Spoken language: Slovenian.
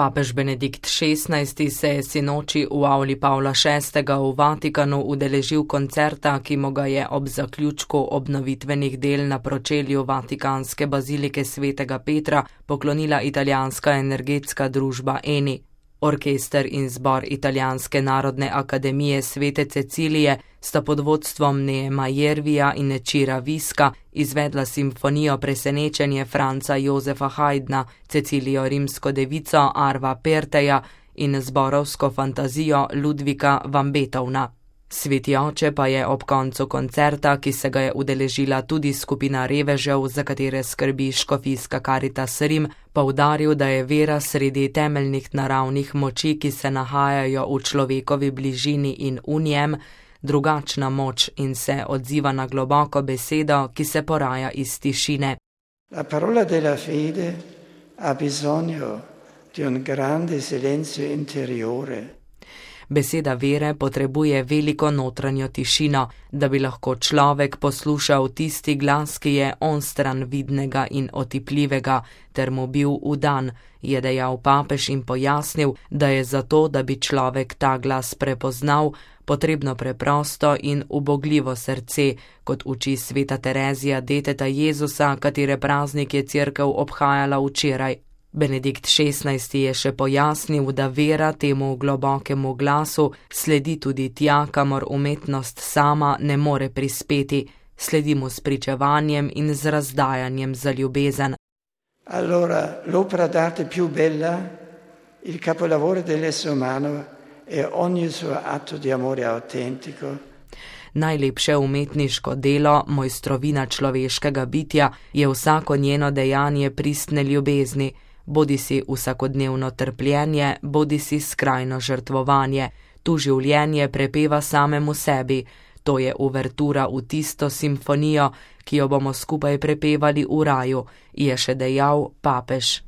Papež Benedikt XVI se je sinoči v avli Pavla VI. V Vatikanu udeležil koncerta, ki mu ga je ob zaključku obnovitvenih del na pročelju Vatikanske bazilike svetega Petra poklonila italijanska energetska družba Eni. Orkester in zbor Italijanske narodne akademije Svete Cecilije sta pod vodstvom Neema Jervija in Cira Viska izvedla simfonijo Presenečenje Franca Jozefa Haydna, Cecilijo rimsko devico Arva Perteja in zborovsko fantazijo Ludvika van Beethovna. Sveti oče pa je ob koncu koncerta, ki se ga je udeležila tudi skupina revežev, za katere skrbi škofijska Karitas Rim, poudaril, da je vera sredi temeljnih naravnih moči, ki se nahajajo v človekovi bližini in v njem, drugačna moč in se odziva na globoko besedo, ki se poraja iz tišine. La parola della fede ha bisogno di un grande silenzio interiore. Beseda vere potrebuje veliko notranjo tišino, da bi lahko človek poslušal tisti glas, ki je onstran vidnega in otipljivega, ter mu bil vdan, je dejal papež in pojasnil, da je zato, da bi človek ta glas prepoznal, potrebno preprosto in ubogljivo srce, kot uči sveta Terezija deteta Jezusa, katere praznik je cerkev obhajala včeraj. Benedikt XVI je še pojasnil, da vera temu globokemu glasu sledi tudi tja, kamor umetnost sama ne more prispeti, sledi mu s pričevanjem in z razdajanjem za ljubezen. Allora, l'opera d'arte più bella, il capolavoro dell'essere umano è ogni suo atto di amore autentico. Najlepše umetniško delo, mojstrovina človeškega bitja, je vsako njeno dejanje pristne ljubezni, bodisi vsakodnevno trpljenje, bodisi skrajno žrtvovanje. Tu življenje prepeva samemu sebi. To je uvertura v tisto simfonijo, ki jo bomo skupaj prepevali v raju, je še dejal papež.